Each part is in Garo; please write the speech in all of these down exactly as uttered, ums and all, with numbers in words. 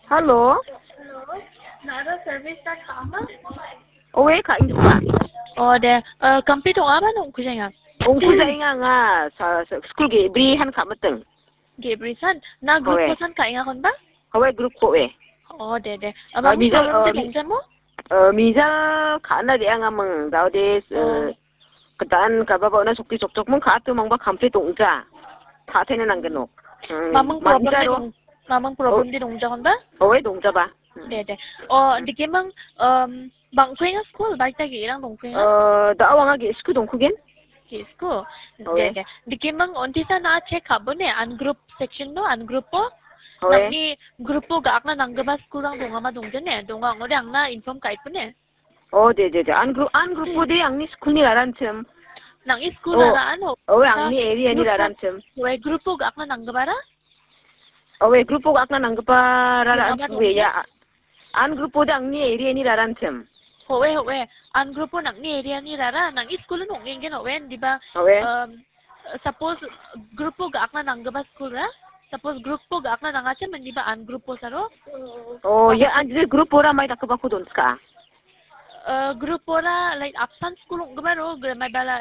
Hello. Hello. Nara service ta kama? Owe, ka ingsa. Oh, de. Eh, complete ong·aba nang ong·kujaenga? Ong·kujaenga anga sa, sa, school ge·bri han ka·miting. Ge·bri san? Na group Owe. Ko san ka·enga konba? Owe, group ko e. Oh, de, de. Ah, Abang mija, problem ah, de mi-, dongja mo? Eh, mija ka·na de anga ming. Daode, eh, Oh. Kedan kaba ba ona sokti chokchok mung ka tu mangba complete ongja. Ka tene nang genok. Hmm, Mamung problem manja de ro. Dong, mamung problem Oh. De dongja konba? Owe, dongja ba. Hmm. De, de. Oh, dikemang, um, bangkuenga school, baita ge-rang dongkuenga? Eh, da awanga ge school dongkugen. Ge school? Owe. De, de. Dikemang onti sana check ka·bone, an group section no, an group o. Owe. Nangni group o ga·akna nanggipa school rang dongama dongjane, donga ong·ode angna inform ka·itbone. Oh, de, de, de. An group, an group-o de angni school-ni raranchim. Nang-ni school Oh. Raraan ho? Owe, angni area-ni raranchim. Owe, group-o ga·akna nanggipara? Owe, group-o ga·akna nanggipara Nanggipa owe, dongja? Ya. An group-o de angni area-ni raranchim. Owe, owe. An group-o nang-ni area-ni rara, nang-ni school-o ong·engen owe, indiba, Owe. Um, Suppose group-o ga·akna nanggipa school-ra? Suppose group-o ga·akna nangachim, indiba an group-o saro? Oh, ya, an je group-ora mai dakgipako donchka? Eh, group-ora, like, apsan school ong·giparo, gra-, maibala,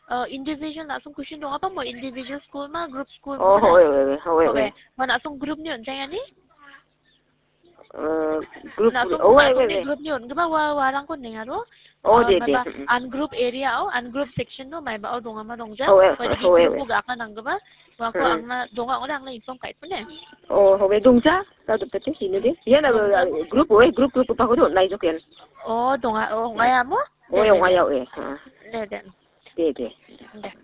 eh, individual na·song question dongapamo, individual school ma, group school Oh, ma? Owe, owe, owe, owe. Owe. Ma na·song group-ni on·jaengani? Eh, group, Na·song owe, owe, na·songni owe. Group-ni on·gipa wa-, warangko nengaro. Oh, Eh, de, de. Maiba Mm, mm. Ungroup area-o, ungroup section-o, maibao dongama dongja. Owe, Ua dake owe, group-o owe. Ga·akna nanggipa, uako Mm. Angna donga ong·ode angna inform ka·itpone. Oh, owe, dongja. Tadoptate, ine de. Ian, Dongja. Eh, group, owe, group, group, group-ako do, naijoken. Oh, donga, oh, ong·aia mo? Owe, de, de, ong·aia, de. Owe. Ha. De, de. De, de. De.